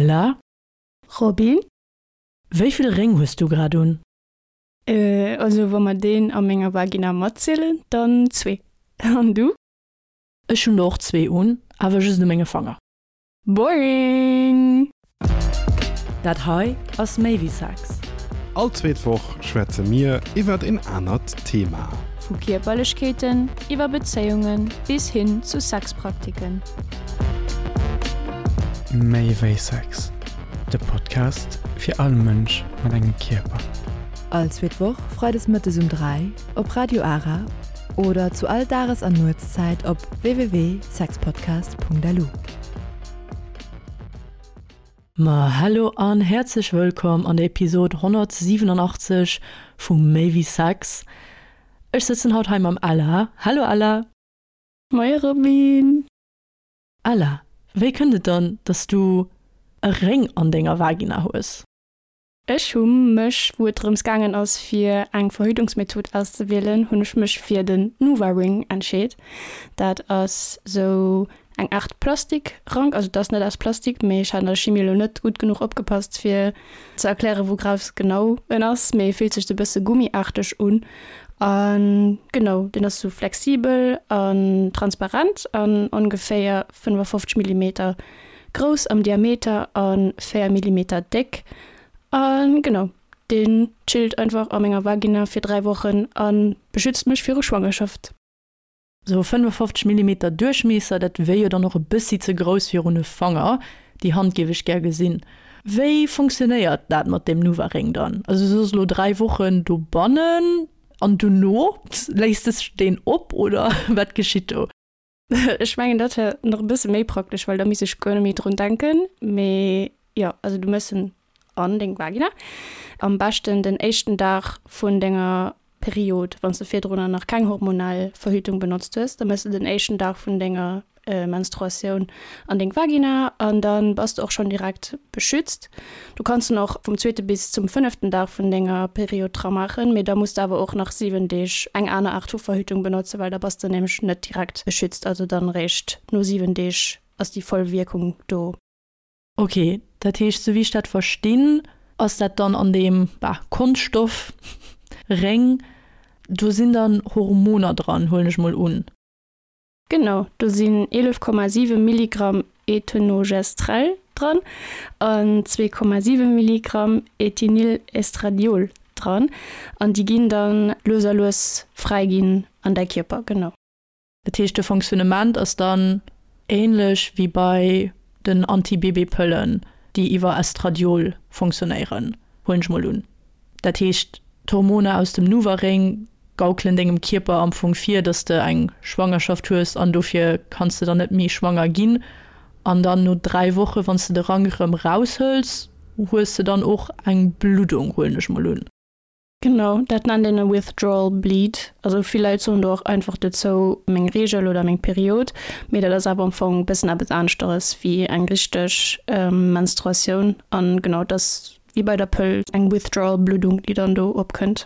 Ella? Robin? Wéi vill Réng hues du grad un? Also wa mer deen a menger Vagina matzielen, dann zwee. An du? Ech hunn der och zwee un, awer just u menge Fanger. Boring! Dat hei ass méi wéi Sex. All zweet Woch schwätze mir iwwert een anert Thema. Vu Kierperlechkeeten iwwer Bezéiunge bis hin zu Sexpraktiken. Méi wéi Sex, de Podcast fir all Mënsch mat engem Kierper. All zweet Woch freides mëttes um 3 op Radio Ara oder zu all Dages an Nuetszäit op www.sexpodcast.lu. Ma hello an häerzlech wëllkomm an der Episode 187 vu Méi wéi Sex. Ech sëtzen haut hei mam Ella. Hallo Ella! Moie Robin! Ella, wéi kënnt et dann, dass du e Réng an denger Vagina hues? Ech hu mech, wou et drëms gaangen ass fir eng Verhütungsmethod auszewielen, hunn ech mech fir den NuvaRing entscheet. Dat ass sou eng Aart Plastikrank, also et ass net aus Plastik, mee ech hat an der Chimie elo net gutt genuch opgepasst fir ze erklären wougraus genau en ass, mee e fillt sech sou e bësse gummiaarteg un. A genau, deen ass sou flexibel an transparent an ongeféier 55 Millimeter Grouss am Diameter a 4 Millimeter déck. A genau, deen chillt einfach a menger Vagina fir 3 Wochen a beschützt mech viru Schwangerschaft. Sou 55 Millimeter Duerchmiesser, dat wier jo dann och e bëssi ze grouss fir un e Fanger. Déi Hand géif ech gär gesinn. Wéi funktionéiert dat mat deem Nuvaring dann? Also du soss elo 3 Wochen dobannen an dono léisst de deen op oder wat geschitt do? Ech mengen dat wär nach e bësse méi praktesch, well da misst ech guer net méi drun denken. Mee jo, also du méchs en an deng Vagina, am beschten den éischten Dag vun denger Period, wann s de virdrunner nach keng hormonell Verhütung benotzt hues, da méchs de den éischten Dag vun denger Menstruatioun an deng Vagina an da bass de och schonn direkt beschützt. Du kanns en och vum zweete bis zum fënneften Dag vun denger Period dra maachen, mee da muss de awer och nach 7 Deeg eng aner Aart vu Verhütung benotzen, well da bass de nämlech net direkt beschützt. Also dann eréischt no 7 Deeg ass déi voll Wierkung do. Ok, dat heescht sou wéi ech dat verstinn, ass dat dann an deem, bah, Konschtstoff Réng, do sinn dann Hormoner dran, huelen ech mol un? Genau, do sinn 11,7 Milligramm Etonogestrel dran an 2,7 Milligramm Ethinylestradiol dran an déi ginn dann lues a lues fräi ginn an däi Kierper, genau. Dat heescht de Fonctionnement ass dann ähnlech wéi bei den Anti-Bébé-Pëllen, déi iwwer Estradiol fonctionnéieren, huelen ech mol un. Dat heescht, d'Hormoner aus dem Nuvaring gaukelen dengem Kierper am Fong vir, dass de eng Schwangerschaft hues an dofir kanns de dann net méi schwanger ginn. An dann no 3 Woche wann s de de Rank erëm raushëls, hues de dann och eng Bluddung, huelen ech mol un. Genau, dat nennt een e Withdrawal Bleed. Also vill Leit soen do och einfach dozou meng Reegel oder meng Period, mee dat ass awer am Fong e bëssen eppes aneschteres wéi eng richteg Menstruatioun. An genau, dat ass Wéi bei der Pëll, eng Withdrawal-Bluddung, déi dann do opkënnt.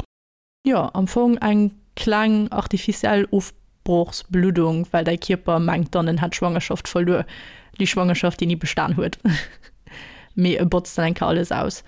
Jo, am Fong eng kleng artificiell Ofbrochsbluddung, well däi Kierper mengt dann, en hätt d'Schwangerschaft verluer. Déi Schwangerschaft, déi ni bestan huet. Mee e botzt dann eng Kéier alles aus.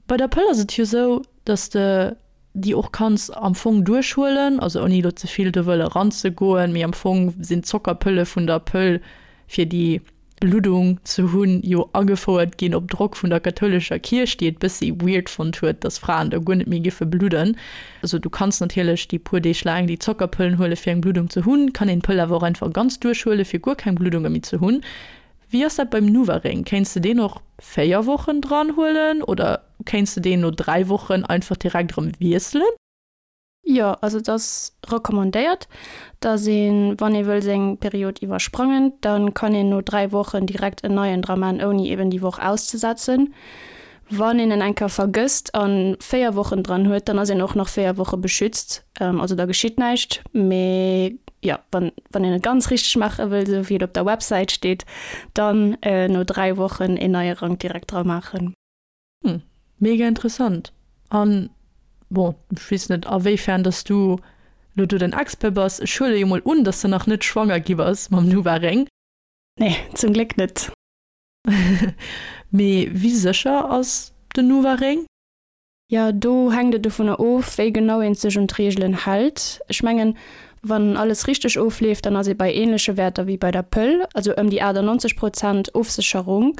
Bei der Pëll ass et jo sou, dass de déi och kanns am Fong duerchhuelen, also ouni elo ze vill do wëlle ranzegoen, mee am Fong sinn d'Zockerpëlle vun der Pëll fir déi Bluddung ze hunn, jo agefouert ginn op Drock vun der kathoulescher Kierch, déi et bëssi weird fonnt huet, dass Fraen da guer net méi giffe bludden. Also du kanns natierlech déi puer Deeg laang déi Zockerpëllen huele fir eng Bluddung ze hunn, kann een d'Pëll awer och einfach ganz duerchhuele fir guer keng Bluddunge méi ze hunn. Wéi ass dat beim Nuvaring? Kéints de deen och 4 Wochen dran huelen oder kéints de deen no 3 Wochen einfach direkt erëm wiesselen? Jo, also et ass recommandéiert, dass een, wann ee wëll seng Period iwwersprangen, da kann een no 3 Wochen direkt en neien dra man, ouni eben déi Woch auszesetzen. Wann een en eng Kéier vergësst a 4 Wochen dran huet, dann ass een och nach 4 Woche beschützt, also da geschitt näischt. Mee jo, wann wann een et ganz richteg maache wëll, esou wéi et op der Websäit steet, dann no 3 Wochen een neie Rank direkt dra maachen. Hm, mega interessant. An, bon, ech weess net a wéifern dass du lo do den Expert bass, ech huele jo mol un, dass de nach net schwanger gi bass mam Nuva Réng. Nee, zum Gléck net. Mee wéi sécher ass den Nuva-Réng? Jo, do hänkt et dovunner of, wéi genau een sech un d'Reegelen hält. Ech mengen, wann alles richteg ofleeft, dann ass ee bei änleche Wäerter wéi bei der Pëll, also ëm déi 98 Prozent Ofsécherung.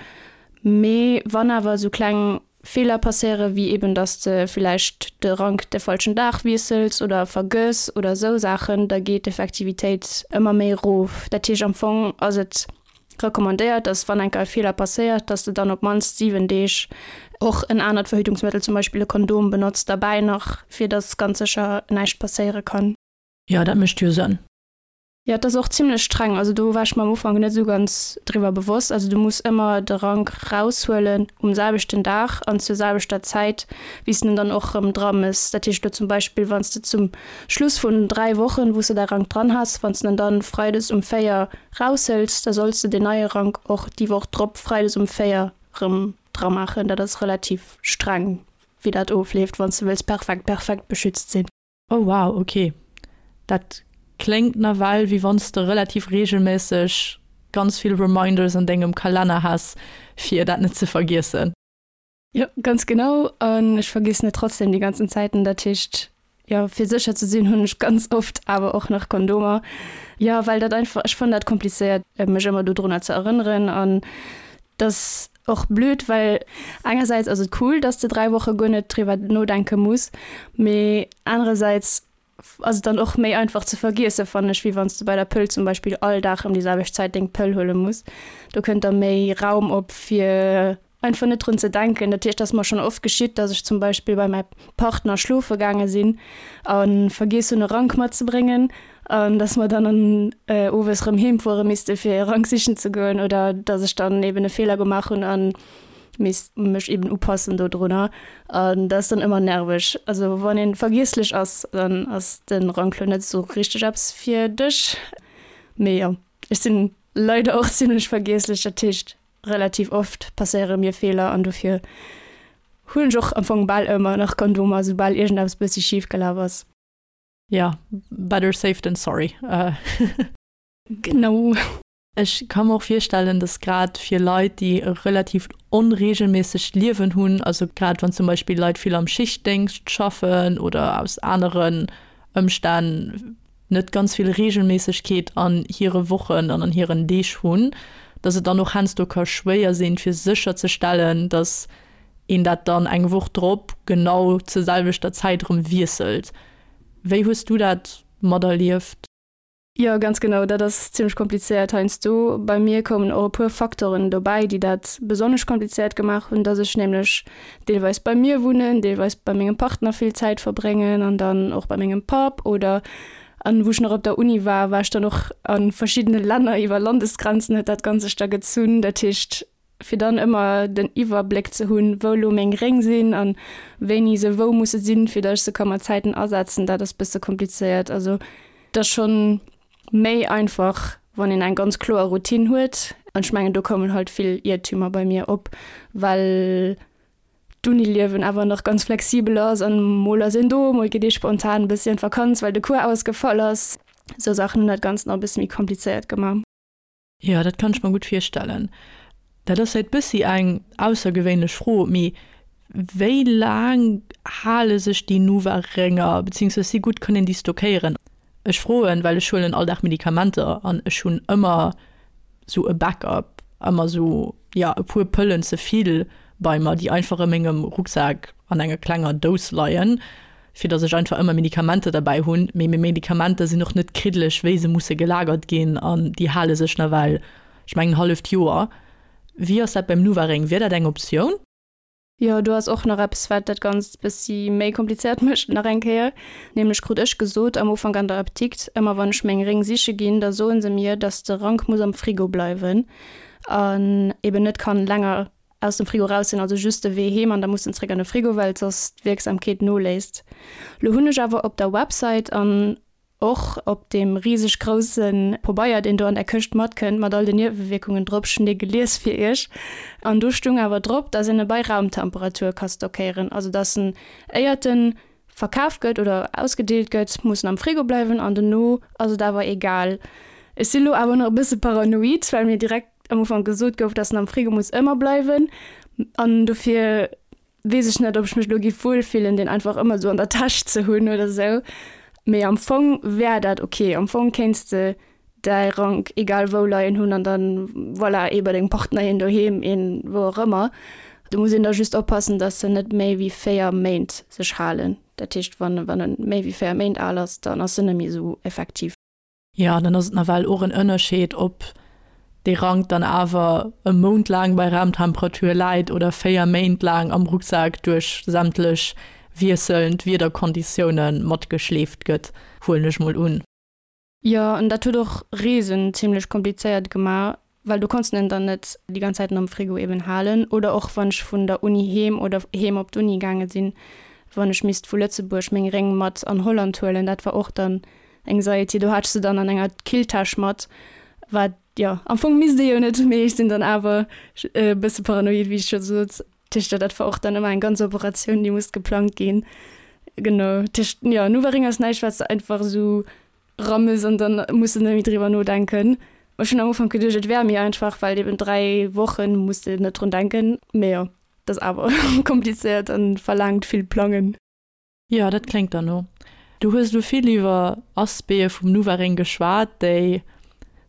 Mee wann awer esou kleng Feeler passéieren, wéi eben, dass de villäicht de Rank de falschen Dag wiessels oder vergëss oder esou Saachen, da geet d'Effektivitéit ëmmer méi erof. Dat heescht, am Fong ass et recommandéiert, dass wann enker e Feeler passéiert, dass de dann op d'mannst 7 Deeg och en anert Verhütungsmëttel, zum Beispill e Kondom, benotzt derbäi nach, fir dass ganz sécher näischt passéiere kann. Jo, dat mécht jo Sënn. Jo, et ass och zimlech streng. Also do war ech mer am Ufank net esou ganz driwwer bewosst. Also du muss ëmmer de Rank raushuelen um selwechten Dag an zur selwechter Zäit, wéi s de en dann och erëm dra mëss. Dat heescht elo zum Beispill, wann s de zum Schluss vun 3 Wochen, wou s de däi Rank dran has, wann s de en dann freides um 4 raushëls, da solls de deen neie Rank och déi Woch drop freides um 4 rëm dramaachen. Dat ass relativ streng, wéi dat ofleeft, wann s de wëlls perfekt, perfekt beschützt sinn. Oh wow, ok. Dat kléngt nawell wéi wann s de relativ reegelméisseg ganz vill Reminders an dengem Kalenner häss, fir dat net ze vergiessen. Jo, ganz genau. An ech vergiessen et trotzdem déi ganzen Zäiten. Dat heescht, jo, fir sécher ze sinn, hunn ech ganz oft awer och nach Kondomer. Jo, well dat einfach, ech fannen dat komplizéiert, mech ëmmer dodrunner ze erënneren. An dat ass och blöd, well engersäits ass et cool, dass de 3 Woche guer net driwwer nodenke muss, mee anerersäits ass et dann och méi einfach ze vergiessen, fannen ech, wéi wann s de bei der Pëll zum Beispill all Dag ëm déi selwecht Zäit deng Pëll huele muss. Do kënnt da méi Raum op, fir einfach net drun ze denken. Dat heescht, et ass mer schonn oft geschitt, dass ech zum Beispill bei mäi Partner schlofe gaange sinn a vergiess hunn e Rank matzebréngen an dass mer dann an owes rëm heem fuere misste fir e Rank sichen ze goen oder dass ech dann eben e Feeler gemaach hunn a misst mech eben upassen dodrunner. An dat ass dann ëmmer nerveg. Also wann ee vergiesslech ass, dann ass de Rank lo net esou richteg eppes fir dech. Mee jo, ech sinn leider och zimmlech vergiesslech, dat heescht Relativ oft passéiere mir Feeler an dofir hunn ech och am Fong bal ëmmer nach Kondomer, soubal iergendeppes bëssi schif gelaf ass. Jo, better safe than sorry. Genau. Ech ka mer och virstellen, dass grad fir Leit, déi e relativ onreegelméissegt Liewen hunn, also grad wann zum Beispill Leit vill am Schichtdéngscht schaffen oder aus aneren Ëmstänn net ganz vill Reegelméissegkeet an hire Wochen an an hiren Deeg hunn, dass et dann och heiansdo ka schwéier sinn, fir sécherzestellen, dass een dat dann eng Woch drop genau zur selwechter Zäit erëm wiesselt. Wéi hues du dat materlieft? Jo, ganz genau, dat ass zimmlech komplizéiert heiansdo. Bei mir koumen och e puer Faktoren dobäi, déi dat besonnesch komplizéiert gemaach hunn, dass ech nämlech deelweis bei mir wunnen, deelweis bei mengem Partner vill Zäit verbréngen an dann och bei mengem Papp oder an wou ech nach op der Uni war, war ech dann och a verschiddene Länner iwwer Landesgrenzen huet dat Ganzt sech da gezunn. Dat heescht, fir dann ëmmer den Iwwerbléck ze hunn, wou elo meng Réng sinn an wéini se wou musse sinn, fir datt ech se ka mat Zäiten asetzen, dat ass bësse komplizéiert. Also et ass schonn méi einfach, wann een eng ganz kloer Routine huet. An ech mengen, do koumen halt vill Iertümer bei mir op, well d'Uniliewen awer nach ganz flexibel ass an mol ass een do, mol geet ee spontan e bëssi an d'Vakanz, well de Cours ausgefall ass. Esou Saachen hunn dat Ganzt nach e bësse méi komplizéiert gemaach. Jo, dat kann ech mer gutt virstellen. Dat ass vläit bëssi eng aussergewéinlech Fro, mee wéi laang hale sech déi Nuva-Rénger, beziehungsweise wéi gutt kann een déi stockéieren? Ech froen, well ech huelen all Dag Medikamenter an ech hunn ëmmer sou e Backup, ëmmer sou, jo, e puer Pëllen ze vill bei mer, déi einfach a mengem Rucksak an enger klenger Dous leien, fir dass ech einfach ëmmer Medikamenter derbäi hunn. Mee meng Medikamenter sinn och net kriddeleg, wéi se musse gelagert ginn an déi hale sech nawell, ech mengen, en halleft Joer. Wéi ass dat beim Nuvaring? Wier dat eng Optioun? Jo, do ass och nach eppes, wat dat Ganzt bëssi méi komplizéiert mécht, nach eng Kéier. Nämlech krut ech gesot am Ufank an der Apdikt, ëmmer wann ech meng Réng siche ginn, da soe se mir, dass de Rank muss am Frigo bleiwen an eben net kann länger aus dem Frigo raus sinn, also just de Wee heem an da muss en zréck an de Frigo, well soss d'Wierksamkeet noléisst. Lo hunn ech awer op der Website an och op deem riseg grousse Pobeier, deen do an der Këscht matkënnt, mat all den Niewewierkungen drop, ech hunn dee gelies fir iech, an do stung awer drop, dass een e bei Raumtemperatur ka stockéieren, also dass en éiert en verkaf gëtt oder ausgedeelt gëtt, muss en am Frigo bleiwen an dono ass et awer egal. Ech si lo awer nach e bësse paranoid, well mir direkt am Ufank gesot gouf, dass en am Frigo muss ëmmer bleiwen. An dofir weess ech net, ob ech mech elo giff wuel fillen, deen einfach ëmmer esou an der Täsch ze hunn oder esou. Mee am Fong wär dat ok. Am Fong kéints de däi Rank egal wou leien hunn an dann, voilà, ee bei dengem Partner, een doheem, een wou och ëmmer. Do muss een da just oppassen, dass se net méi wéi 4 Méint sech halen. Dat heescht, wann wann en méi wéi 4 Méint al ass, dann ass en net méi esou effektiv. Jo, dann ass et nawell och en Ënnerscheed, ob dee Rank dann awer e Mount laang bei Raumtemperatur läit oder 4 Méint laang am Rucksak duerch sämtlech wiesselnd Wiederkonditioune matgeschleeft gëtt, huelen ech mol un. Jo, an dat huet och Reesen zimlech komplizéiert gemaach, well du konns en dann net déi ganz Zäiten am Frigo eben halen. Oder och wann ech vun der Uni heem oder heem op d'Uni gaange sinn, wann ech misst vu Lëtzebuerg meng Réng mat an Holland huelen, dat war och dann Anxiety. Do hat ech se dann an enger Killtäsch mat, wat, jo, am Fong misst ee jo net, mee ech sinn dann awer e bësse paranoid, wéi ech scho sot. Tëscht, dat war och dann ëmmer eng ganz Operatioun, déi musst geplangt ginn. Genau, tëscht, jo, Nuvaring ass näischt, wat s de einfach esou rammes an dann muss de net méi driwwer nodenken. Ech hunn am Ufank geduecht, et wär méi einfach, well eben 3 Wochen muss de net drun denken. Mee jo, et ass awer komplizéiert an verlaangt vill Plangen. Jo, dat kléngt derno. Du hues elo vill iwwer Aspecte vum Nuvaring geschwat, déi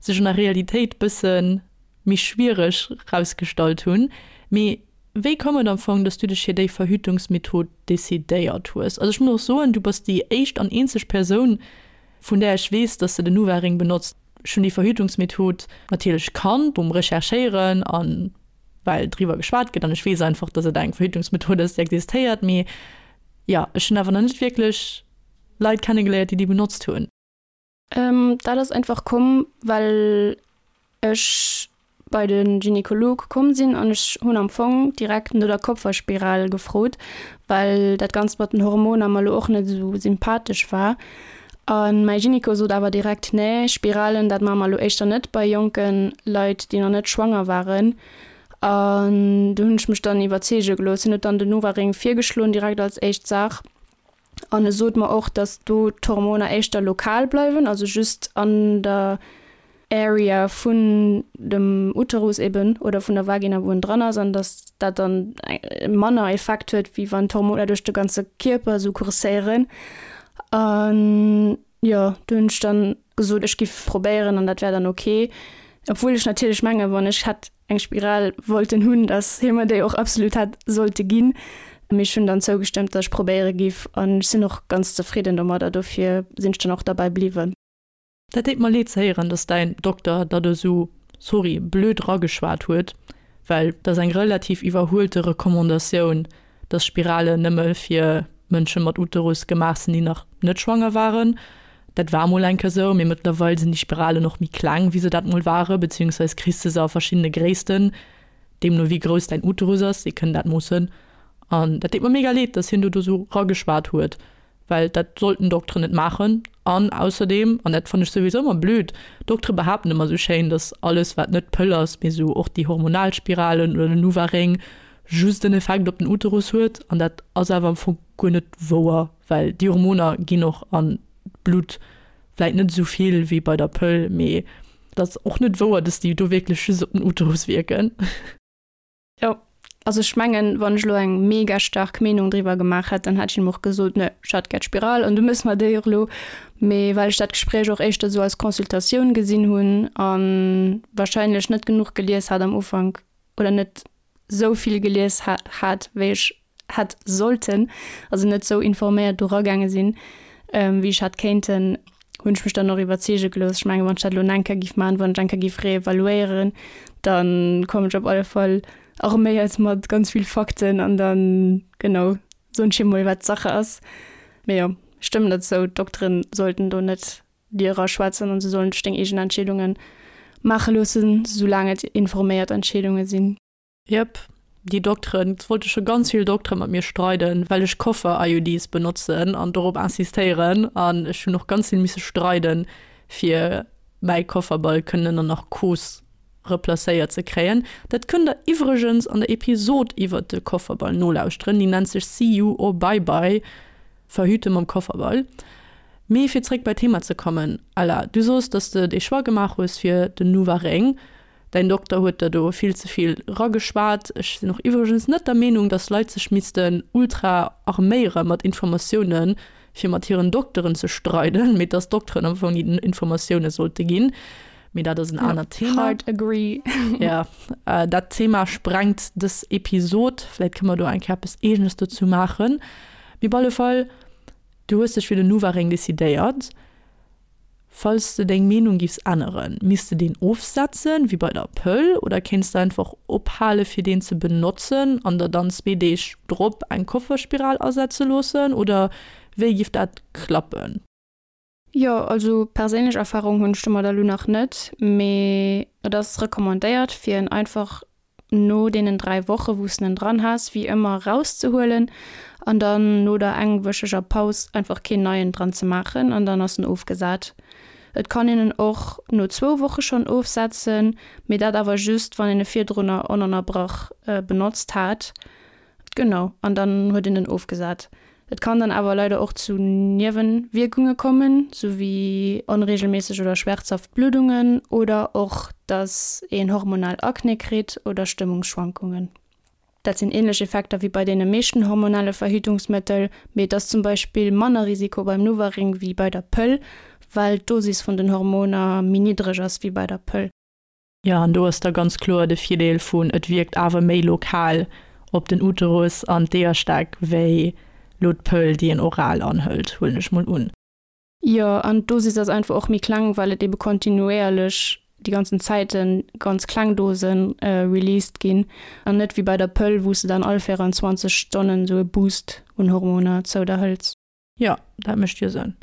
sech an der Realitéit bësse méi schwiereg rausgestallt hunn. Mee wéi koum et am Fong, dass du dech fir déi Verhütungsmethod decidéiert hues? Also ech muss och soen, du bass déi éischt an eenzeg Persoun, vun där ech weess, dass se den Nuvaring benotzt. Ech hunn déi Verhütungsmethod natierlech kannt um Recherchéieren a well driwwer geschwat gëtt an ech weess einfach, dass et eng Verhütungsmethod ass, déi existéiert. Mee jo, ech hunn awer nach net wierklech Leit kennegeléiert, déi déi benotzt hunn. Dat ass einfach komm, well ech bei de Gynekolog komm sinn an ech hunn am Fong direkt no der Kupferspiral gefrot, well dat Ganzt mat den Hormoner mer elo och net esou sympathesch war. A mäi Gyneko sot awer direkt, Nee, Spiralen, dat maache mer elo éischter net bei jonke Leit, déi nach net schwanger waren. An do hunn ech mech dann iwwerzeege gelooss. Hien huet dann den Novaring virgeschloen, direkt als éischt Saach. An e sot mer och, datt do d'Hormoner éischter lokal bleiwen, also just an der Area vun dem Uterus eben oder vun der Vagina, wou en dran ass, an datt dat dann manner Effekt huet, wéi wann d'Hormoner duerch de ganze Kierper esou kurséieren. An jo, do hunn ech dann gesot, ech giff probéieren an dat wär dann ok. Obwuel ech natierlech mengen, wann ech hätt eng Spiral wollten hunn, dass hie mer déi och absolut hätt sollte ginn. Mee ech hunn dann zougestëmmt, dass ech probéiere giff an ech sinn och ganz zefridden domadder, dofir sinn ech dann och derbäi bliwwen. Dat deet mer leed ze héieren, dass däin Dokter der do sou, sorry, blöd rageschwat huet, well dat ass eng relativ iwwerhuelte Recommandatioun, dass Spiralen nëmme fir Mënsche mat Uterus gemaach sinn, déi nach net schwanger waren. Dat war mol eng Kéier sou, mee mëttlerweil sinn déi Spiralen och méi kleng, wéi se dat mol ware, beziehungsweis kriss de se a verschiddene Gréissten, deemno wéi grouss däin Uterus ass, déi kënnen dat moossen. An dat deet mer mega leed, dass hien do do sou rageschwat huet. Well dat sollten Dokteren net maachen. An ausserdeem, an dat fannen ech souwisou ëmmer blöd, Doktere behaapten ëmmer sou schéin, dass alles wat net d'Pëll ass, mee sou och déi hormonal Spiralen oder den Nuvaring just en Effekt op den Uterus huet. An dat ass awer am Fong guer net wouer, well déi Hormoner ginn och an d'Blutt, vläit net esou vill wéi bei der Pëll, mee et ass och net wouer, dass déi do wierklech just op den Uterus wierken. Jo, also ech mengen, wann ech elo eng mega staark Meenung driwwer gemaach hätt, dann hätt ech him och gesot, ne, ech hätt gär d'Spiral an du méchs mer déi och elo. Mee well ech dat Gespréich och éischter esou als Consultatioun gesinn hunn a wahrscheinlech net genuch gelies hat am Ufank oder net esou vill gelies hat, wéi ech hätt sollten, also net sou informéiert do ragaange sinn, wéi ech hätt kéinten, hunn ech mech dann och iwwerzeege gelooss. Ech mengen, wann ech dat elo nach eng Kéier giff maachen, wann ech eng Kéier giff reevaluéieren, da kommen ech op alle Fall arméiert mat ganz vill Fakten an dann, genau, soen ech him mol, wat Sache ass. Mee jo, ech stëmmen der zou, d'Dokteren sollten do net dir eraschwätzen an se sollen dech deng eegen Entscheedunge maache loossen, soulaang et informéiert Entscheedunge sinn. Jep, déi Dokteren, et wollte scho ganz vill Doktere mat mir streiden, well ech Koffer-IUDs benotzen an dorop insistéieren. An ech hunn och ganz vill misse streiden, fir mäi Kofferball kënnen ënner Narkos replacéiert ze kréien. Dat kënnt der iwwregens an der Episod iwwert de Kofferball nolauschteren, déi nennt sech See you or bye bye, Verhüte mam Kofferball. Mee fir zréck bei d'Thema ze kommen, Ella, du soos, dass de dee Choix gemaach hues fir den Nuvaring. Däin Dokter huet der do vill ze vill rageschwat. Ech sinn och iwwregens net der Meenung, dass Leit sech missten ultra arméiere mat Informatiounen, fir mat hiren Dokteren ze streiden, mee dass d'Dokteren am Fong déi Informatioune sollte ginn. Mee dat ass en anert Thema. Hard agree. Ja, dat Thema sprengt dës Episod. Vläit kënne mer do eng Kéier eppes Eegenes dozou maachen. Mee op alle Fall, du hues dech fir den Nuvaring decidéiert. Falls de deng Meenung giffs änneren, misst de deen ofsetzen, wéi bei der Pëll, oder kéints de einfach ophale fir deen ze benotzen an der dann zwee Deeg drop eng Kofferspiral asetze loossen, oder wéi giff dat klappen? Jo, also perséinlech Erfahrung hunn ech domadder elo nach net, mee et ass recommandéiert fir en einfach no deenen 3 Woche wou s de en dran has, wéi ëmmer rauszehuelen an dann no der engwöcheger Paus einfach keen neien dran ze maachen an dann ass en ofgesat. Et kann een en och no zwou Woche schonn ofsetzen, mee dat awer just wann een e virdrunner onënnerbrach benotzt hat. Genau, an dann huet een en ofgesat. Et kann dann awer leider och zu Niewenwierkunge kommen, sou wéi onregelméisseg oder schwärzhaft Bluddungen oder och dass een hormonal Akne kritt oder Stëmmungsschwankungen. Dat sinn ähnlech Effekter wéi bei deene meeschten hormonelle Verhütungsmëttel, mee et ass zum Beispill manner Risiko beim NuvaRing wéi bei der Pëll, well d'Dosis vun den Hormoner méi niddreg ass wéi bei der Pëll. Jo, an do ass da ganz kloer de Virdeel vun, et wierkt awer méi lokal op den Uterus an d'Eeërstäck wéi lo d'Pëll, déi een oral anhëlt, huelen ech mol un. Jo, an d'Dosis ass einfach och méi kleng, well et ebe kontinuéierlech déi ganzen Zäite ganz kleng Dose released ginn an net wéi bei der Pëll, wou s de dann all 24 Stonnen esou e Boost un Hormoner zou der hëls. Jo, dat mécht jo Sënn.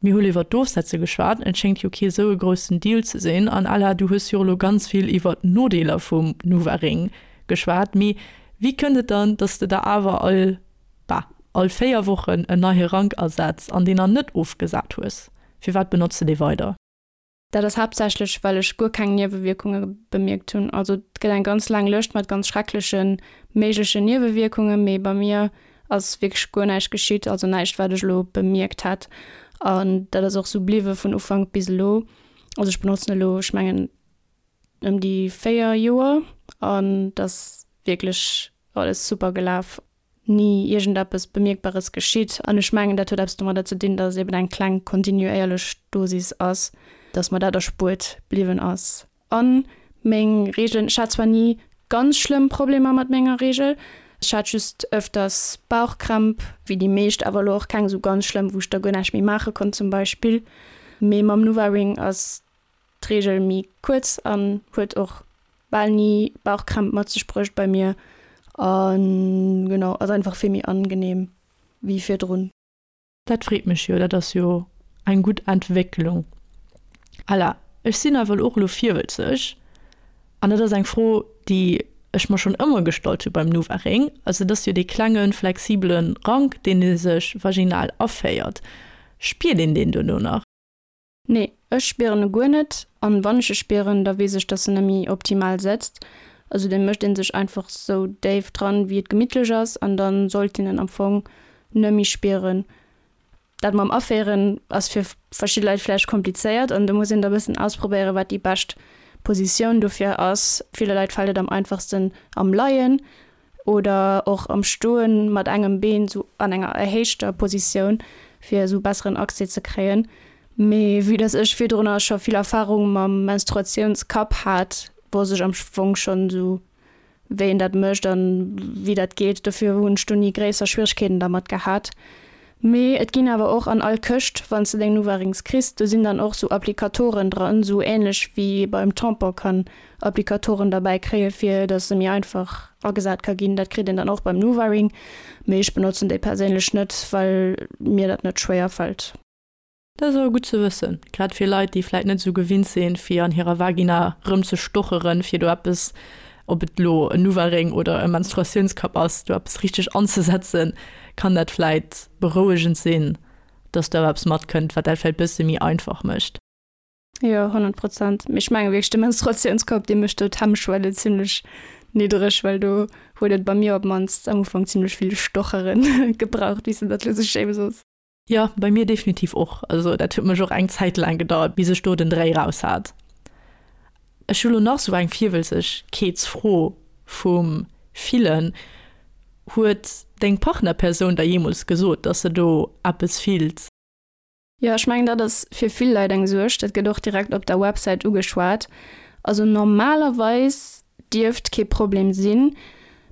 Mir hu iwwer d'Ofsetze geschwat, et schéngt jo kee sou e groussen Deal ze sinn. An Ella, du hues jo elo ganz vill iwwer d'Nodeeler vum Nuvaring geschwat, mee wéi kënnt et dann, dass de der awer all, bah, all 4 Wochen en neie Rank asetz an deen dann net ofgesat hues? Firwat benotz de dee weider? Dat ass haaptsächlech, well ech guer keng Niewewierkunge bemierkt hunn. Also et gëtt eng ganz laang Lëscht mat ganz schreckleche méiglechen Niewewierkungen, mee bei mir ass wierklech guer näischt geschitt, also näischt wat ech elo bemierkt hätt. An dat ass och sou bliwwe vun Ufank bis elo. Also ech benotzen elo, ech mengen ëm déi 4 Joer an et ass wierklech alles super gelaf. ni iergendeppes Bemierkbares geschitt. An ech mengen, dat huet eppes domadder ze dinn, datt et eben eng kleng kontinuéierlech Dosis ass, datt mer dat erspuert bliwwen ass. A meng Reegelen, ech hat zwar ni ganz schlëmm Problemer mat menger Reegel, ech hat just ëfters Bauchkrämp, wéi déi meescht, awer elo och keng esou ganz schlëmm, wou ech da guer näischt méi maache konnt zum Beispill. Mee mam NuvaRing ass d'Reegel méi kuerz an huet och bal ni Bauchkrämp mat sech bruecht bei mir an genau ass einfach vill méi angenehm wéi virdrun. Dat freet mech jo, dat ass jo eng gutt Entwécklung. Ella, ech sinn awer och elo virwëtzeg an dat ass eng Fro déi ech mer schonn ëmmer gestallt hu beim NuvaRing, also et ass jo dee klenge flexibele Rank deen ee sech vaginal aféiert, spiert een deen duerno nach? Nee, ech spieren e guer net. An wann ech e spieren, da weess ech, dass en nemmi optimal setzt. Also dee mécht een sech einfach sou déif dran, wéi et gemittlech ass, an dann sollt een en am Fong nemmi spieren. Dat mam Aféieren ass fir verschidde Leit vläicht komplizéiert an do muss een da bëssen ausprobéieren, wat déi bescht Positioun dofir ass. Ville Leit fält et am einfachsten am Leien oder och am Stoen mat engem Been sou an enger erhéichter Positioun fir esou besseren Accès ze kréien. Mee vue dass ech virdrunner scho vill Erfahrung mam Menstruatiounskapp hat, wosst ech am Fong schonn sou wéi een dat mécht an wéi dat geet. Dofir hunn ech do ni gréisser Schwieregkeeten dermat gehat. Mee et ginn awer och an all Këscht, wann s de deng NuvaRings kriss, do sinn dann och sou Applikatoren dran, sou ähnlech wéi ee beim Tampon kann Applikatoren derbäi kréie fir dass se méi einfach agesat ka ginn. Dat kritt een dann och beim NuvaRing, mee ech benotzen déi perséinlech net, well mir dat net schwéier fält. Dat ass awer gutt ze wëssen, grad fir Leit, déi vläit net esou gewinnt sinn, fir an hirer Vagina rëm ze stocheren, fir do eppes, ob et elo en NuvaRing oder e Menstruatiounskapp ass, do eppes richteg anzesetzen, kann dat vläit berouegend sinn, dass do awer eppes matkënnt, wat dat vläit bësse méi einfach mécht. Jo, 100 Prozent. Mee ech menge wierklech, de Menstruatiounskapp, dee mécht do d'Hemmschwelle zimmlech niddereg, well do huet et bei mir op d'mannst am Ufank zimmlech vill Stochere gebraucht, wéi s de dat elo sou schéi soos. Jo, bei mir definitiv och. Also dat huet mech och eng Zäit laang gedauert, bis ech do den Dréi raus hat. Ech hu lo nach sou eng Virwëlzegkeetsfro vum Fillen. Huet deng Partnerpersoun der jeemools gesot, dass se do eppes fillt? Jo, ech mengen dat ass fir vill Leit eng Suerg. Dat gëtt och direkt op der Websäit ugeschwat. Also normalerweis dierft kee Problem sinn.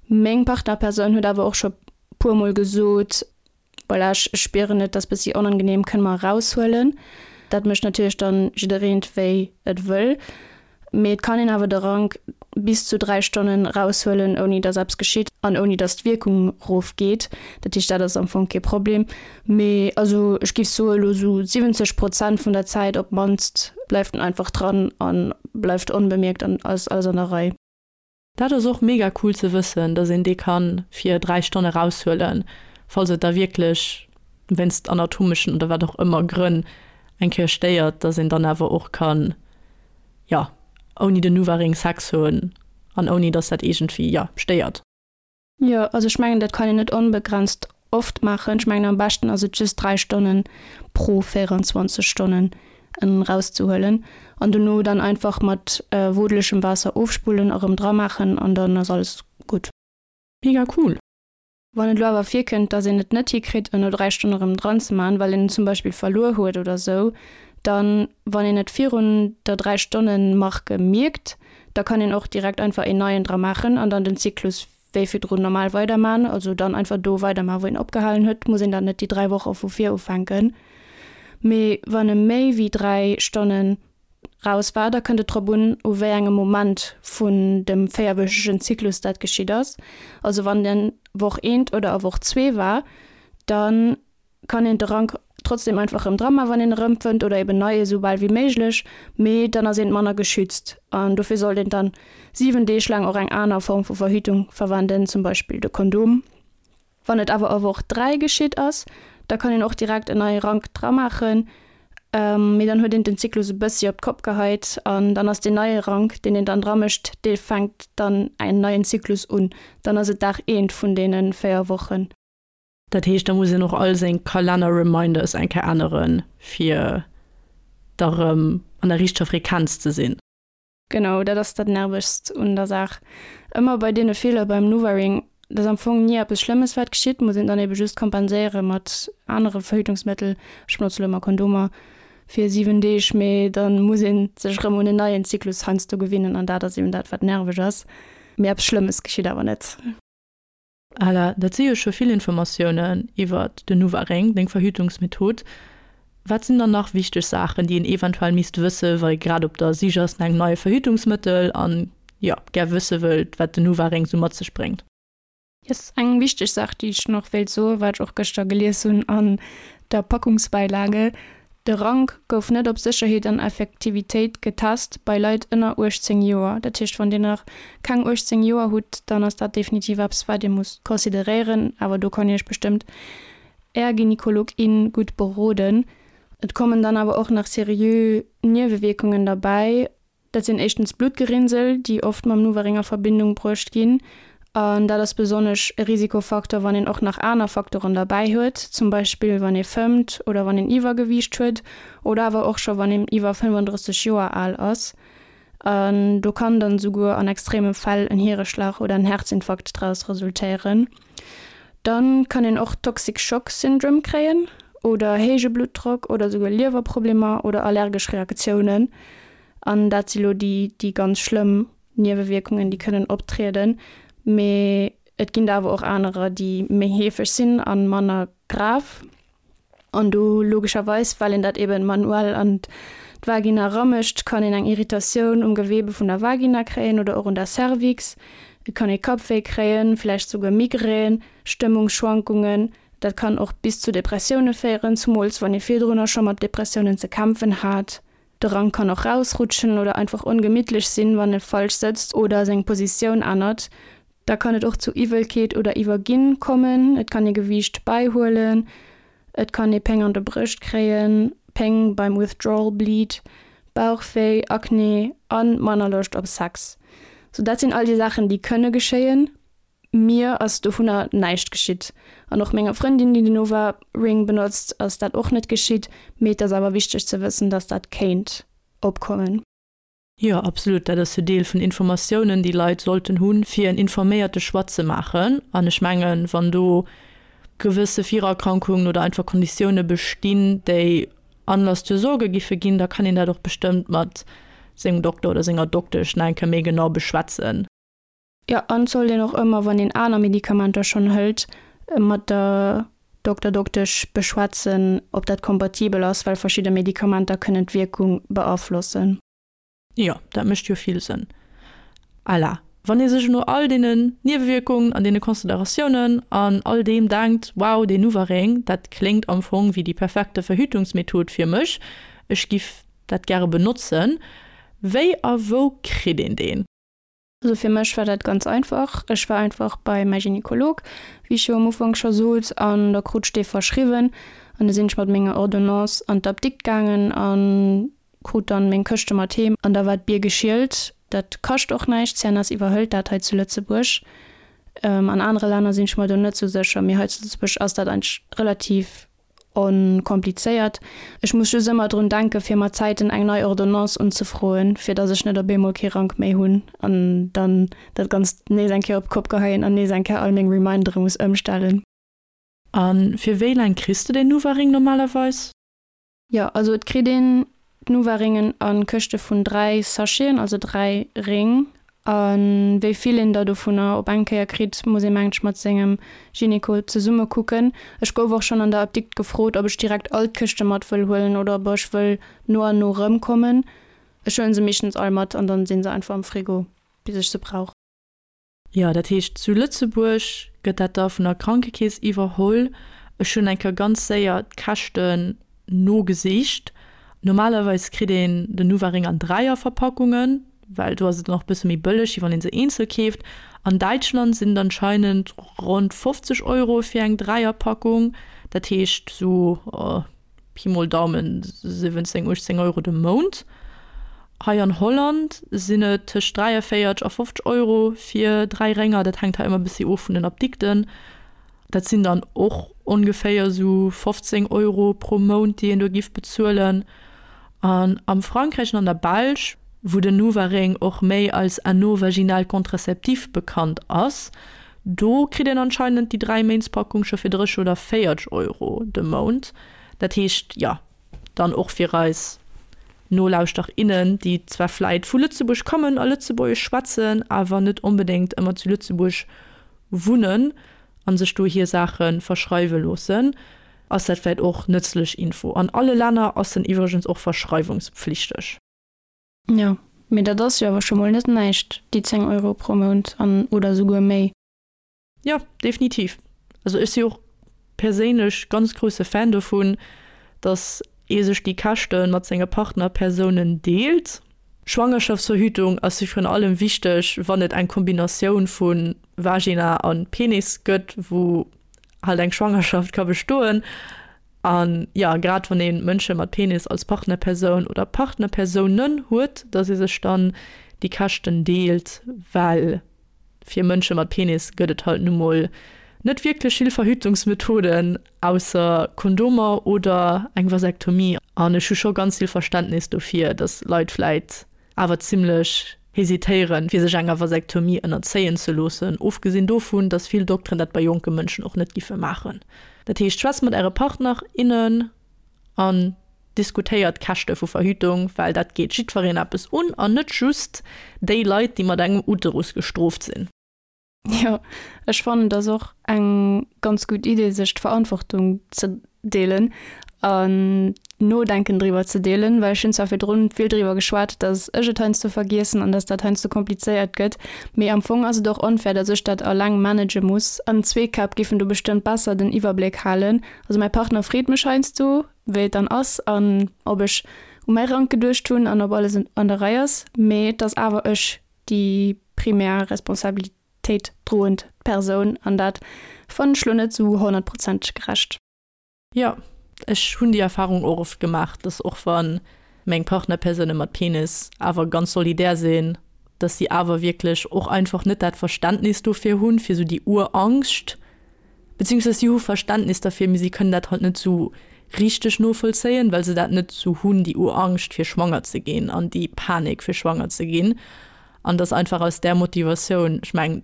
Meng Partnerpersoun huet awer och scho puer mol gesot, Voilà, ech spieren et, ass bëssi onangenehm, kënne mer eraushuelen. Dat mécht natierlech dann jiddereent wéi et wëll. Mee et kann een awer de Rank bis zu 3 Stonnen eraushuelen, ouni dass eppes geschitt an ouni dass d'Wierkung rofgeet. Dat heescht, dat ass am Fong kee Problem. Mee also ech géif soe lo sou 70 Prozent vun der Zäit op d'mannst bleift en einfach dran a bleift onbemierkt an ass alles an der Rei. Dat ass och mega cool ze wëssen, dass een dee kann fir 3 Stonne raushuelen, falls et da wierklech wéinst anatomeschen oder wat och ëmmer Grënn eng Kéier stéiert, dass een dann awer och kann, jo, ouni den Nuvaring Sex hunn an ouni dass dat iergendwéi, jo, stéiert. Jo, also ech mengen dat kann een net onbegrenzt oft maachen. Ech mengen am beschten ass et just 3 Stonnen pro 24 Stonnen en rauszehuelen an dono dann einfach mat wodelegem Waasser ofspullen a rëm dra maachen an dann ass alles gutt. Mega cool! Wann et elo awer virkënnt, dass een et net hikritt en no 3 Stonne rëm dran ze man, well een en zum Beispill verluer huet oder sou, dann wann een et virun der 3 Stonnen Marke mierkt, da kann een och direkt einfach een neien dra maachen an dann den Zyklus wéi virdrun normal weiderman, also dann einfach do weiderman wou een opgehalen huet, muss een dann net déi 3 Woche vu vir ufänken. Mee wann e méi wéi 3 Stonnen raus war, da kënnt et drop un, u wéi engem Moment vun dem véierwöchegen Zyklus dat geschitt ass. Also wann den Woch eent oder a Woch zwee war, dann kann een de Rank trotzdem einfach erëm dra man, wann een e rëmfënnt oder eben nei esou bal wéi méiglech, mee dann ass een manner geschützt an dofir sollt een dann 7 Deeg laang och eng aner Form vu Verhütung verwenden, zum Beispill de Kondom. Wann et awer a Woch 3 geschitt ass, da kann een och direkt en neie Rank dra maachen, mee dann huet een den Zyklus e bëssi op d'Kopp geheit an dann ass deen neie Rank, deen een dann dra mécht, dee fänkt dann en neien Zyklus un, dann ass et Dag eent vun deene 4 Wochen. Dat heescht, da muss een och all seng Kalenner-Reminders eng Kéier änneren, fir da rëm an der richteger Frequenz ze sinn. Genau, dat ass dat Nervegst un der Saach. Ëmmer bei deene Feeler beim Nuvaring, dat ass am Fong ni eppes Schlëmmes wat geschitt, muss een dann ebe just kompenséiere mat anere Verhütungsmëttel. Ech benotze lo ëmmer Kondomer fir 7 Deeg, mee da muss ee sech erëm un en neien Zyklus heiansdo gewinnen an dat ass eben dat wat nerveg ass. Mee eppes Schlëmmes geschitt awer net. Ella, dat si jo scho vill Informatiounen iwwert den Nuvaring, deng Verhütungsmethod. Wat sinn dann nach wichteg Saachen, déi een eventuell misst wësse wa ee grad op der Sich ass no engem neie Verhütungsmëttel an, jo, gär wësse wëllt, wat den Nuvaring sou mat sech bréngt? Yes, eng wichteg Saach, déi ech nach wéilt soen, wat ech och gëschter gelies hunn an der Packungsbäilage, De Rank gouf net op Sécherheet an Effektivitéit getest bei Leit ënner 18 Joer. Dat heescht, wann Dir nach keng 18 Joer hutt, dann ass dat definitiv eppes, wat Dir musst consideréieren. Awer do kann Iech bestëmmt Är Gynekolog, in gutt beroden. Et kommen dann awer och nach seriö Niewewierkungen derbäi. Dat sinn éischtens Bluttgerinnsel, déi oft mam Nuvaring a Verbindung bruecht ginn. An dat ass besonnesch e Risikofaktor, wann een och nach aner Faktoren derbäi huet, zum Beispill wann ee fëmmt oder wann een Iwwergewiicht huet oder awer och scho wann een iwwer 35 Joer al ass. An do kann dann esouguer an extreme Fäll en Hiereschlag oder en Herzinfarkt draus resultéieren. Dann kann een och Toxic Shock Syndrome kréien oder héije Bluttdrock oder esouguer Liewerproblemer oder allergesch Reaktiounen. An dat si lo déi, déi ganz schlëmm Niewewierkungen, déi kënnen optrieden. Mee et ginn der awer och anerer, déi méi heefeg sinn a manner grav. An do logescherweis, well een dat eben manuell an d'Vagina eramécht, kann een eng Irritatioun um Gewebe vun der Vagina kréien oder och un der Cervix. Et kann ee Kappwéi kréien, vläicht souguer Migrän, Stëmmungsschwankungen. Dat kann och bis zu Depressioune féieren, zumools wann ee virdrunner scho mat Depressiounen ze kämpfen hat. De Rank kann och rausrutschen oder einfach ongemittlech sinn, wann e falsch sëtzt oder seng Positioun ännert. Da kann et och zu Iwwelkeet oder Iwwerginn kommen, et kann ee Gewiicht bäihuelen, et kann ee Péng an de Brëscht kréien, Péng beim Withdrawal Bleed, Bauchwéi, Akne a manner Loscht op Sex. Sou dat sinn all déi Saachen, déi kënne geschéien. Mir ass dovunner näischt geschitt an och menger Frëndin, déi den Nova Ring benotzt, ass dat och net geschitt. Mee et ass awer wichteg ze wëssen, dass dat kéint opkommen. Jo, absolut. Dat ass jo Deel vun Informatiounen, déi Leit sollten hunn, fir en informéierte Choix ze maachen. An ech mengen, wann do gewësse Virerkrankungen oder einfach Konditioune bestinn, déi Anlass zur Sorge giffe ginn, da kann een dat och bestëmmt mat sengem Dokter oder senger Doktesch nach eng Kéier méi genau beschwätzen. Jo, an et sollt een och ëmmer, wann een aner Medikamenter schonn hëlt, mat der Dokter, Doktesch beschwätzen, ob dat kompatibel ass, well verschidde Medikamenter kënnen d'Wierkung beaflossen. Jo, dat mécht jo vill Sënn. À la, wann ee sech no all deenen Niewewierkungen an deene Consideratiounen an all deem denkt, wow, deen Nuvaring, dat kléngt am Fong wéi déi perfekte Verhütungsmethod fir mech, ech giff dat gäre benotzen, wéi a wou kritt een deen? Also fir mech war dat ganz einfach. Ech war einfach bei mäi Gynekolog, wéi ech jo am Ufank scho sot, an da krut ech dee verschriwwen. An da sinn ech mat menger Ordonnance an d'Apdikt gaangen a krut dann meng Këschte mat heem. An da war d'Bier geschielt. Dat kascht och näischt, CNS iwwerhëlt dat hei zu Lëtzebuerg. An anere Länner sinn ech mer do net sou sécher, mee hei zu Lëtzebuerg ass dat eigentlech relativ Onkomplizéiert. Ech muss just ëmmer drun denken, fir mat Zäiten eng nei Ordonnance unzefroen, fir dass ech net op eemol kee Rank méi hunn an dann dat Ganzt nees eng Kéier op d'Kopp geheien an nees eng Kéier all meng Remindere muss ëmstellen. A fir wéi laang kriss de den Nuvaring normalerweis? Jo, also et kritt een d'Nuvaringen a Këschte vun 3 Sacheten, also 3 Réng. A wéi vill een der dovunner op eng Kéier kritt, muss ee mengt ech mat sengem Gynéco zesumme kucken. Ech gouf och schonn an der Apdikt gefrot, ob ech direkt all d'Këschte mat wëll huelen oder ob ech wëll no an no erëmkommen. Ech huelen se meeschtens all mat an dann sinn se einfach am Frigo bis ech se brauch. Jo, dat heescht zu Lëtzebuerg gëtt dat da vun der Krankekeess iwwerholl. Ech hunn eng Kéier ganz séier d'Käschten nogesicht. Normalerweis kritt een den Nuvaring an Dräierverpackungen, well do ass et nach e bësse méi bëlleg, wéi wann ee se eenzel keeft. An Däitschland sinn et anscheinend ronn 50 Euro fir eng Dräierpackung, dat heescht sou Pi mol Daumen 17, 18 Euro de Mount. Hei an Holland sinn et tëscht 43 a 50 Euro fir 3 Rénger. Dat hänkt hei ëmmer e bëssi of vun den Apdikten. Dat sinn dann och ongeféier esou 15 Euro pro Mount, déi een do giff bezuelen. An am Frankräich an an der Belsch, wou den Nuvaring och méi als Anneau vaginal contraceptif bekannt ass, Do kritt een anscheinend déi 3 Méintspackung scho fir 30 oder 40 Euro de Mount. Dat heescht, jo, dann och fir eis Nolauschter, innen, déi zwar vläit vu Lëtzebuerg kommen a Lëtzebuergesch schwätzen, awer net onbedéngt ëmmer zu Lëtzebuerg wunnen a sech do hir Saache verschreiwe loossen, ass dat vläit och nëtzlech Info. An alle Länner ass en iwwregens och verschreiwungspflichteg. Jo, mee dat ass jo awer scho mol net näischt, déi 10 Euro pro Mount an oder souguer méi. Jo, definitiv. Also ech si och perséinlech ganz grousse Fan dovun, datt ee sech déi Käschte mat senge Partnerpersounen deelt. Schwangerschaftsverhütung ass jo virun allem wichteg, wann et eng Kombinatioun vu Vagina a Penis gëtt, wou halt eng Schwangerschaft ka bestoen. An jo, grad wann ee Mënsche mat Penis als Partnerpersoun oder Partnerpersounen huet, datt ee sech dann déi Käschten deelt, well fir Mënsche mat Penis gëtt et halt nu mol net wierklech vill Verhütungsmethoden, ausser Kondomer oder eng Vasektomie. An ech hu scho ganz vill Verständnis dofir, datt Leit vläit awer zimlech hesitéieren, fir sech enger Vasektomie ënnerzéien ze loossen, ofgesinn dovun, dass vill Dokteren dat bei jonke Mënschen och net giffe maachen. Dat heescht, schwätzt mat äre Partner, innen an diskutéiert d'Käschte vu Verhütung, well dat geet jiddwereen eppes un an net just déi Leit, déi mat engem Uterus gestrooft sinn. Jo, ech fannen et ass och eng ganz gutt Idee sech d'Verantwortung ze deelen an d'Nodenken driwwer ze deelen, well ech hunn zwar virdrun vill driwwer geschwat, datt ech et heiansdo vergiessen an datt dat heiansdo komplizéiert gëtt, mee am Fong ass et och onfair, datt ech dat alleng manage muss an zwee Käpp giffen do bestëmmt besser den Iwwerbléck halen. Also mäi Partner freet mech heiansdo wéi et dann ass an ob ech u mäi Rank geduecht hunn an ob alles an der Rei ass, mee et ass awer ech déi primär Responsabilitéit droend Persoun an dat fannen ech lo net sou honnertprozenteg gerecht. Jo, ech hunn déi Erfahrung och oft gemaach, dass och wa meng Partnerpersoune mat Penis awer ganz solidär sinn, dass si awer wierklech och einfach net dat Verständnis dofir hunn, fir sou déi Urangscht, beziehungsweise si hu Verständnis derfir, mee si kënnen dat halt net sou. richteg novollzéien, well se dat net sou hunn, déi Urangscht fir schwanger ze ginn an déi Panik fir schwanger ze ginn. An dass einfach aus där Motivatioun, ech mengen,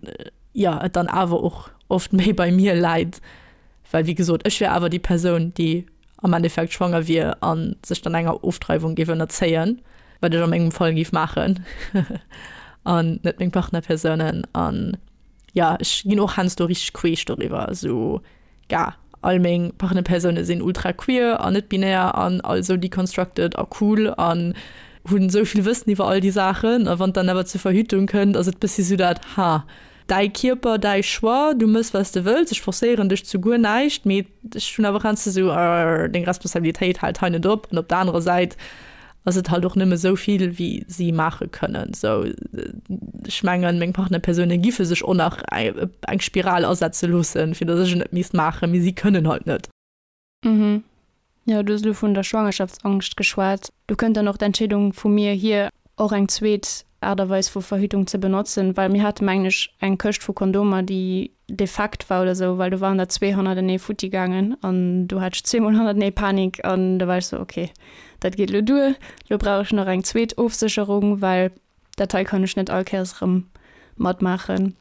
jo, et dann awer och oft méi bei mir läit, well wéi gesot, ech wier awer déi Persoun, déi am Endeffekt schwanger wier a sech dann enger Ofdreiwung géif ënnerzéien, wat ech a mengem Fall géif maachen an net meng Partnerpersounen. An jo, ech ginn och heiansdo richteg queesch doriwwer, esou ga all meng Partnerpersoune sinn ultra queer an net binär an all sou deconstructed a cool an hunn esou vill Wëssen iwwer all déi Saachen. A wann et dann awer zur Verhütung kënnt, ass et bëssi sou dat, ha, däi Kierper, däi Choix, du mëss wat s de wëlls, ech forcéieren dech zu guer näischt, mee ech hunn awer heiansdo sou, arr, deng Responsabilitéit hält hei net op. An op der anerer Säit ass et halt och nëmme sou vill, wéi si maache kënnen. Sou, ech mengen, meng Partnerpersoune giffe sech och nach eng Spiral asetze loossen, fir datt ech et net misst maachen, mee si kënnen halt net. Mhm. Jo, du hues elo vun der Schwangerschaftsangscht geschwat. Do kënnt dann och d'Entscheedung vu mir hier, och eng zweet Aart a Weis vu Verhütung ze benotzen, well mir hate mengen ech eng Këscht vu Kondomer, déi defekt war oder sou, well do waren der zwee hannertenee futti gaangen an do hat ech zweemol hannertenee Panik an do war ech sou, ok, dat geet elo duer, elo brauch ech nach eng zweet Ofsécherung, well dat hei kann ech net all Kéiers erëm matmaachen.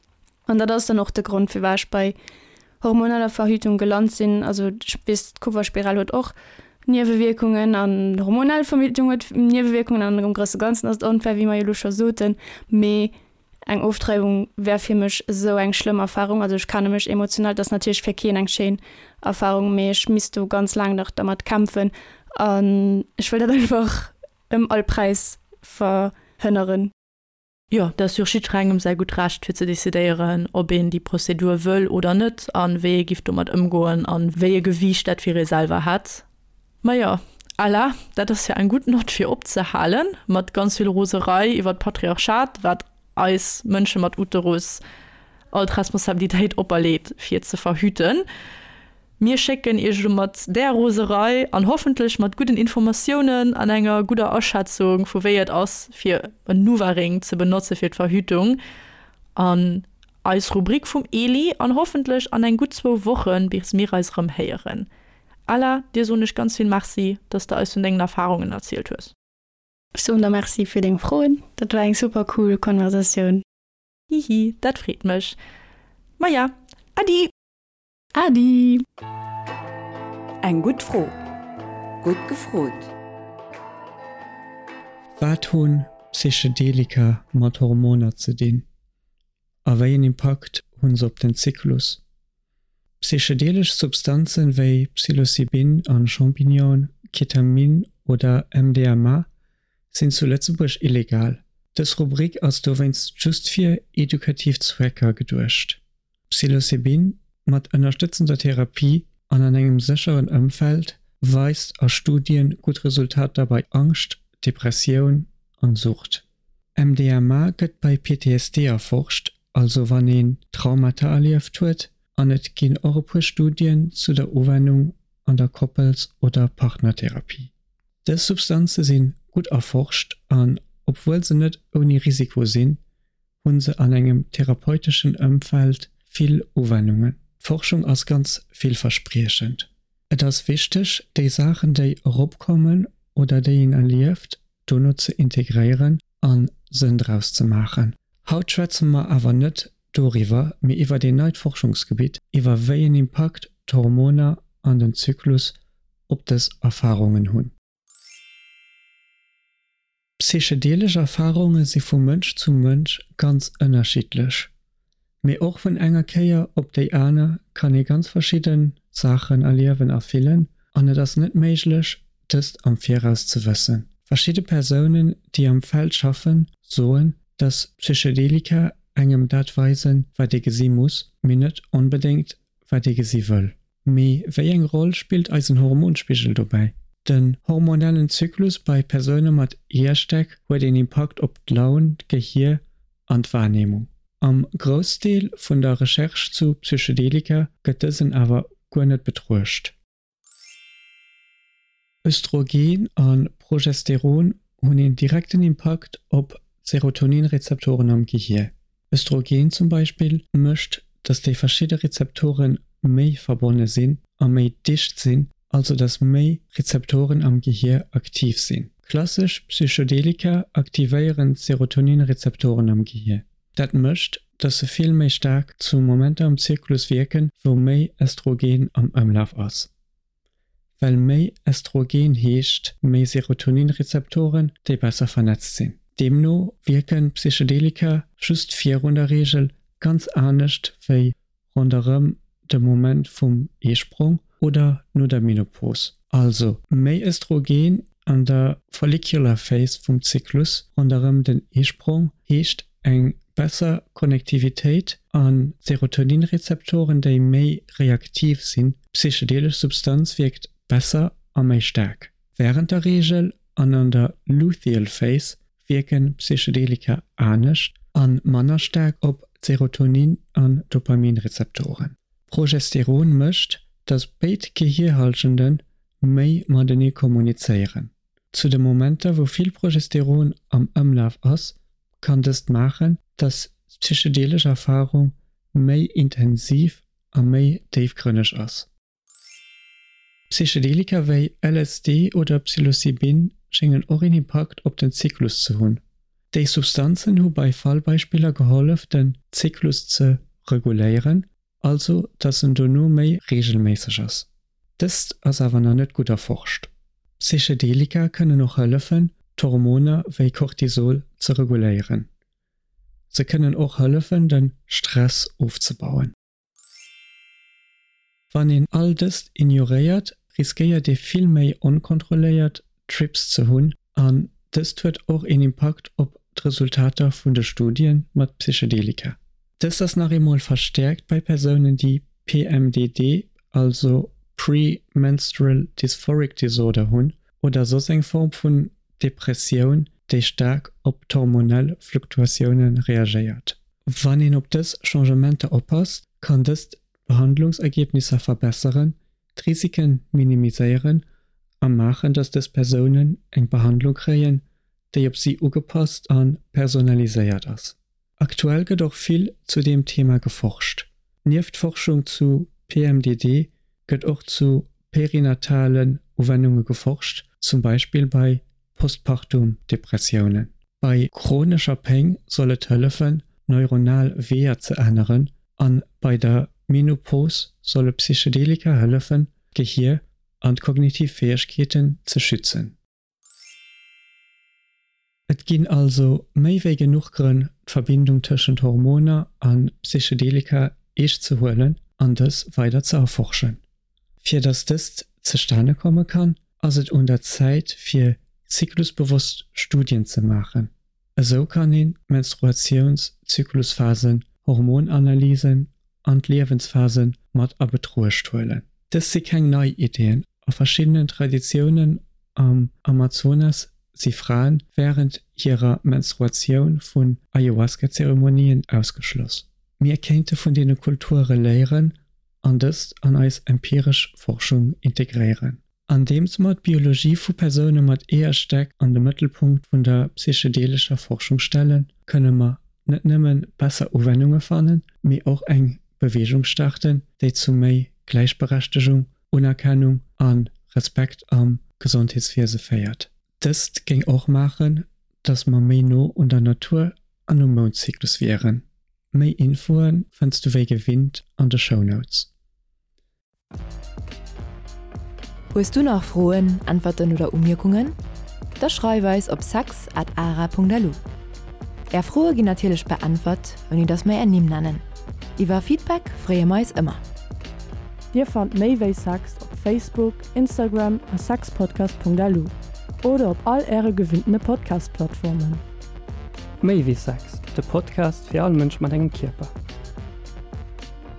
An dat ass dann och de Grond, firwat ech bei hormoneller Verhütung gelant sinn. Also ech weess, d'Kupferspiral huet och Niewewierkungen an hormonell Verhütung huet Niewewierkungen an am grousse Ganzen ass et onfair, wéi mer jo elo scho soten, mee Eng Ofdreiwung wär fir mech esou eng schlëmm Erfahrung. Also ech kenne mech emotional, et ass natierlech fir keen eng schéin Erfahrung, mee ech misst do ganz laang nach dermat kämpfen an ech wëll dat einfach ëm all Präis verhënneren. Jo, dat ass jo och jiddwerengem säi gutt Recht fir ze decidéieren, ob een déi Prozedur wëll oder net an wéi ee giff domat ëmgoen an wéi e Gewiicht dat fir ee selwer hätt. Majo, Ella, dat ass jo eng gutt Nott fir opzehalen, mat ganz vill Roserei iwwer d'Patriarchat, wat eis Mënsche mat Uterus all d'Responsabilitéit operleet fir ze verhüten. Mir schécken iech elo mat där Roserei an hoffentlech mat gudden Informatiounen an enger gudder Aschätzung vu wéi et ass fir en Nuvaring ze benotze fir d'Verhütung an eis Rubrik vum Eli an hoffentlech an eng gutt zwou Wochen bis mir eis erëm héieren. Ella, dir soen ech ganz vill Merci, dass de eis vun dengen Erfahrungen erzielt hues. Ech soen der Merci fir deng Froen, dat war eng super cool Konversatioun. Hihi, dat freet mech. Maja, Adi! Adi! Eng gutt Fro, gutt gefrot! Wat hunn Psychedelika mat Hormoner ze dinn? A wéi en Impakt hunn se op den Zyklus? Psychedelesch Substanzen wéi Psilocybin an Champignonen, Ketamin oder MDMA sinn zu Lëtzebuerg illegal. Dës Rubrik ass dowéinst just fir edukativ Zwecker geduecht. Psilocybin, mat ënnerstëtzender Therapie an an engem sécheren Ëmfeld, weist a Studien gutt Resultater bei Angscht, Depressioun an Sucht. MDMA gëtt bei PTSD erforscht, also wann een Traumata erlieft huet, an et ginn och e puer Studien zu der Uwennung an der Koppels oder Partnertherapie. Dës Substanze sinn gutt erforscht an obwuel se net ouni Risiko sinn, hunn se an engem therapeuteschen Ëmfeld vill Uwennungen. D'Forschung ass ganz villverspriechend. Et ass wichteg, déi Saachen déi eropkommen oder déi een erlieft, dono ze integréieren an Sënn draus ze maachen. Haut schwätze mer awer net doriwwer, mee iwwert een neit Forschungsgebitt, iwwer wéi en Impakt d'Hormoner an den Zyklus op dës Erfarungen hunn. Psychedelesch Erfarunge si vu Mënsch zu Mënsch ganz ënnerschiddlech. Mee och vun enger Kéier op déi aner kann ee ganz verschidde Saachen erliewen a fillen an et ass net méiglech, dëst am Viraus ze wëssen. Verschidde Persounen, déi am Feld schaffen, soen, dass Psychedelika engem dat weisen, wat ee gesi muss, mee net onbedéngt, wat ee gesi wëll. Mee wéi eng Roll spillt eisen Hormonspigel dobäi? Den hormonellen Zyklus bei Persoune mat Eeërstäck huet een Impakt op d'Laun, d'Gehier an d'Wahrnehmung. Am Groussdeel vun der Recherche zu Psychedelika gëtt dësen awer guer net betruecht. Östrogen a Progesteron hunn een direkten Impakt op d'Serotonin-Rezeptoren am Gehier. Östrogen zum Beispill mécht, datt déi verschidde Rezeptore méi verbonne sinn a méi dicht sinn. also dass méi Rezeptoren am Gehier aktiv sinn. Klassesch Psychedelika aktivéieren d'Serotonin-Rezeptoren am Gehier. Dat mécht, dass se vill méi staark zu Momenter am Zyklus wierken, wou méi Estrogen am Ëmlaf ass. Well méi Estrogen heescht méi Serotonin-Rezeptoren, déi besser vernetzt sinn. Deemno wierken Psychedelika just virun der Reegel ganz anescht wéi ronderëm de Moment vum Eesprong oder no der Menopos. Also méi Östrogen an der Follicular Phase vum Zyklus ronderëm den Eesprong heescht eng besser Konnektivitéit a Serotoninrezeptoren déi méi reaktiv sinn, d'psychedelesch Substanz wierkt besser a méi staark. Wärend der Reegel an an der Luteal Phase wierken Psychedelika anescht a manner staark op d'Serotonin an Dopaminrezeptoren. Progesteron mécht, datt béid Gehierhallschende méi matenee kommunizéieren. Zu de Momenter wou vill Progesteron am Ëmlaf ass, kann dëst maachen, datt d'psychedelesch Erfarung méi intensiv a méi déifgrënneg ass. Psychedelika wéi LSD oder Psilocybin schéngen och een Impakt op den Zyklus ze hunn. Déi Substanzen hu bei Fallbeispiller gehollef den Zyklus ze reguléieren, also dass en dono méi reegelméisseg ass. Dëst ass awer nach net gutt erforscht. Psychedelika kënnen och hëllefen d'Hormoner wéi Cortisol ze reguléieren. Se kënnen och hëllefen den Stress ofzebauen. Wann een all dëst ignoréiert, riskéiert ee vill méi onkontrolléiert Trips ze hunn an dëst huet och een Impakt op d'Resultater vun de Studie mat Psychedelika. Dëst ass nach eemol verstäerkt bei Persounen déi PMDD, also Pre-Menstrual Dysphoric Disorder hunn oder soss eng Form vun Depressioun, déi staark op d'hormonell Fluktuatioune reagéiert. Wann een op dës Changementer oppasst, kann dëst d'Behandlungsergebnisser verbesseren, d'Risiken minimiséieren a maachen, dass dës Persounen eng Behandlung kréien, déi op si ugepasst a personaliséiert ass. Aktuell gëtt och vill zu deem Thema geforscht. Nieft Forschung zu PMDD gëtt och zu perinatalen Uwennunge geforscht, zum Beispill bei Postpartum Depressiounen. Bei chronescher Péng soll et hëllefen, neuronal Weeër ze änneren an bei der Menopos solle Psychedelika hëllefen, d'Gehier an d'kognitiv Fäegkeeten ze schützen. Et ginn also méi wéi genuch Grënn, d'Verbindung tëschent Hormoner a Psychedelika eescht ze huelen an dës weider ze erforschen. Fir datt dëst zestane komme kann, ass et un der Zäit fir zyklusbewosst Studien ze maachen. Esou kann een d'Menstruatiounszyklusphasen, Hormonanalysen an d'Liewensphase mat a Betruecht huelen. Dëst si keng nei Iddien, a verschiddenen Traditiounen am Amazonas si Fraen wärend hirer Menstruatioun vun Ayahuasca-Zeremonien ausgeschloss. Mir kéinte vun deene Kulture léieren an dëst an eis empiresch Forschung integréieren. Andeems mer d'Biologie vu Persoune mat Eeërstäck an de Mëttelpunkt vun der psychedelescher Forschung stellen, kënne mer net nëmme besser Uwennunge fannen, mee och eng Beweegung starten, déi zu méi Gläichberechtegung, Unerkennung a Respekt am Gesondheetswiese féiert. Dëst géing och maachen, datt mer méi no un der Natur an um Moundzyklus wieren. Méi Infoe fënns du wéi gewinnt an de Shownotes. Hues du nach Froen, Äntwerten oder Umierkungen? Da schreif eis op sex at ara.lu. Är Froe ginn natierlech beäntwert, ouni dass mer är Nimm nennen. Iwwer Feedback freeë mer eis ëmmer. Dir fannt méi wéi Sex op Facebook, Instagram a sexpodcast.lu oder op all äre gewinntene Podcast-Plattformen. Méi wéi Sex, de Podcast fir all Mënsch mat engem Kierper.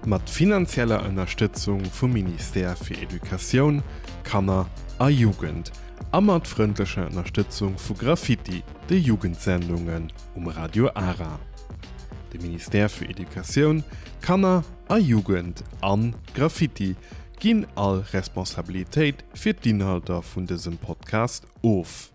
Mat finanzieller Ënnerstëtzung vum Ministère fir Educatioun, Kanner a Jugend a mat frëndlecher Ënnerstëtzung vu Graffiti, de Jugendsendungen um Radio Ara. De Ministère fir Educatioun, Kanner a Jugend an Graffiti ginn all Responsabilitéit fir d'Inhalter vun dësem Podcast of.